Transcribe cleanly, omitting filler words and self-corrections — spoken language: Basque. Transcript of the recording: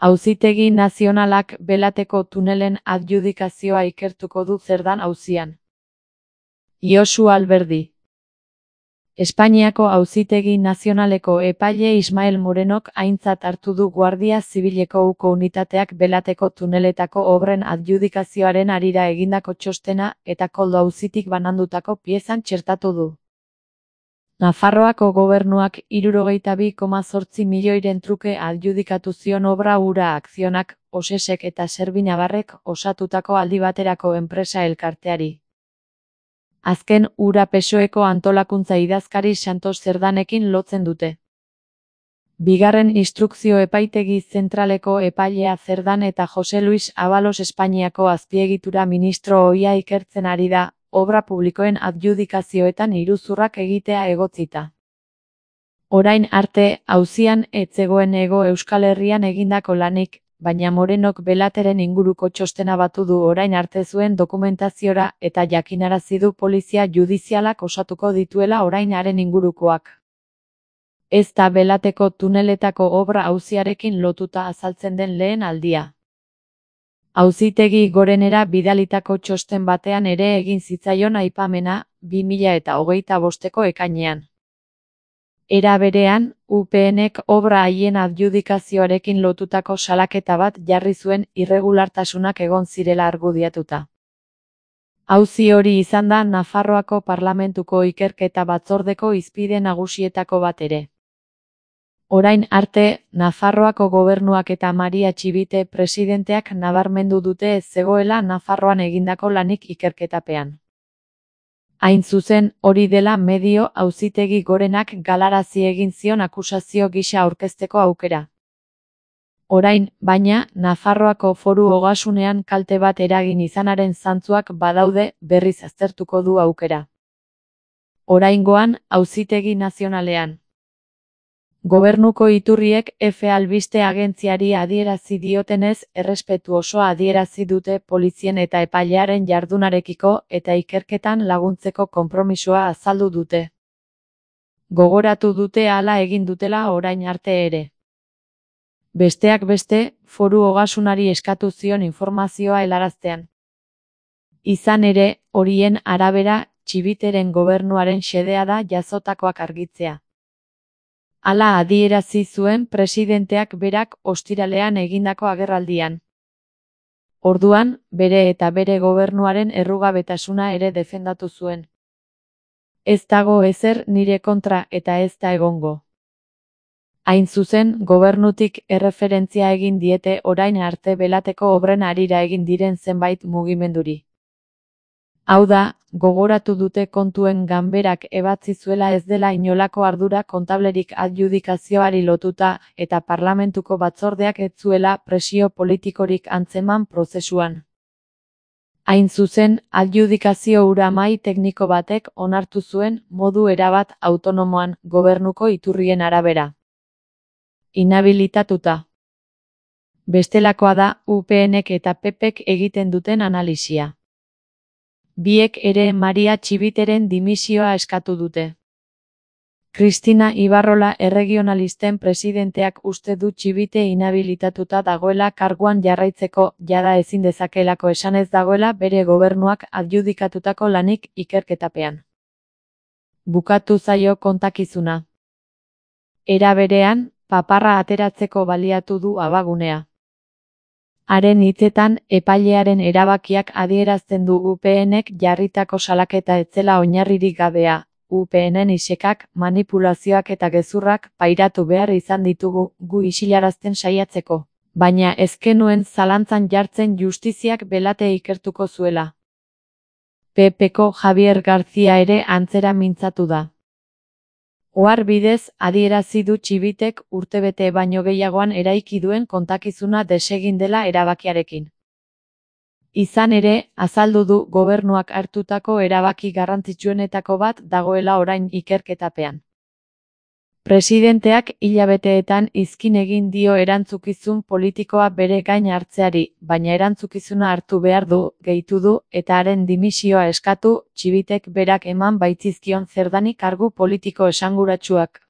Auzitegi Nazionalak Belateko tunelen adjudikazioa ikertuko du Zerdan auzian. Josu Alberdi. Espainiako Auzitegi Nazionaleko epaile Ismael Morenok aintzat hartu du Guardia Zibileko uko unitateak Belateko tuneletako obren adjudikazioaren harira egindako txostena eta Koldo auzitik banandutako piezan txertatu du. Nafarroako gobernuak 62,8 milioiren truke adjudikatu zion obra hura Akzionak, Osesek eta Servinabarrek osatutako aldi baterako enpresa elkarteari. Azken hura PSOEko antolakuntza idazkari Santos Zerdanekin lotzen dute. Bigarren instrukzio epaitegi zentraleko epailea Zerdan eta Jose Luis Abalos Espainiako azpiegitura ministro ohia ikertzen ari da, obra publikoen adjudikazioetan iruzurrak egitea egotzita. Orain arte, auzian ez zegoen Hego Euskal Herrian egindako lanik, baina Morenok Belateren inguruko txostena batu du orain arte zuen dokumentaziora eta jakinarazi du polizia judizialak osatuko dituela orain haren ingurukoak. Ez da Belateko tuneletako obra auziarekin lotuta azaltzen den lehen aldia. Auzitegi Gorenera bidalitako txosten batean ere egin zitzaion aipamena, 2025ko ekainean. Era berean, UPNek obra haien adjudikazioarekin lotutako salaketa bat jarri zuen irregulartasunak egon zirela argudiatuta. Auzi hori izan da Nafarroako Parlamentuko ikerketa batzordeko hizpide nagusietako bat ere. Orain arte, Nafarroako gobernuak eta Maria Txibite presidenteak nabarmendu dute ez zegoela Nafarroan egindako lanik ikerketapean. Hain zuzen, hori dela medio Auzitegi Gorenak galarazi egin zion akusazio gisa aurkezteko aukera. Orain, baina, Nafarroako Foru Ogasunean kalte bat eragin izanaren zantzuak badaude berriz aztertuko du aukera. Oraingoan, Auzitegi Nazionalean. Gobernuko iturriek F albiste agentziari adierazi diotenez errespetu osoa adierazi dute polizien eta epailearen jardunarekiko eta ikerketan laguntzeko konpromisoa azaldu dute. Gogoratu dute hala egin dutela orain arte ere. Besteak beste, Foru Ogasunari eskatu zion informazioa helaraztean. Izan ere, horien arabera, Txibiteren gobernuaren xedea da jazotakoak argitzea. Hala adierazi zuen presidenteak berak ostiralean egindako agerraldian. Orduan, bere eta bere gobernuaren errugabetasuna ere defendatu zuen. Ez dago ezer nire kontra eta ez da egongo. Hain zuzen, gobernutik erreferentzia egin diete orain arte Belateko obren harira egin diren zenbait mugimenduri. Hau da, gogoratu dute kontuen ganberak ebatzi zuela ez dela inolako ardura kontablerik adjudikazioari lotuta eta parlamentuko batzordeak ez zuela presio politikorik antzeman prozesuan. Hain zuzen, adjudikazio hura mahai tekniko batek onartu zuen modu erabat autonomoan gobernuko iturrien arabera. Inhabilitatuta. Bestelakoa da UPNek eta PPek egiten duten analisia. Biek ere Maria Txibiteren dimisioa eskatu dute. Cristina Ibarrola erregionalisten presidenteak uste du Txibite inhabilitatuta dagoela karguan jarraitzeko, jada ezin dezakelako esanez dagoela bere gobernuak adjudikatutako lanik ikerketapean. Bukatu zaio kontakizuna. Era berean, paparra ateratzeko baliatu du abagunea. Haren hitzetan, epailearen erabakiak adierazten du UPNek jarritako salaketa etzela oinarririk gabea, UPNen isekak, manipulazioak eta gezurrak pairatu behar izan ditugu gu isilarazten saiatzeko, baina ez genuen zalantzan jartzen justiziak Belate ikertuko zuela. PPko Javier García ere antzera mintzatu da. Ohar bidez, adierazi du Txibitek urtebete baino gehiagoan eraiki duen kontakizuna desegin dela erabakiarekin. Izan ere, azaldu du gobernuak hartutako erabaki garrantzitsuenetako bat dagoela orain ikerketapean. Presidenteak hilabeteetan izkin egin dio erantzukizun politikoa bere gain hartzeari, baina erantzukizuna hartu behar du, gehitu du, eta haren dimisioa eskatu, Txibitek berak eman baitzizkion Zerdani kargu politiko esanguratsuak.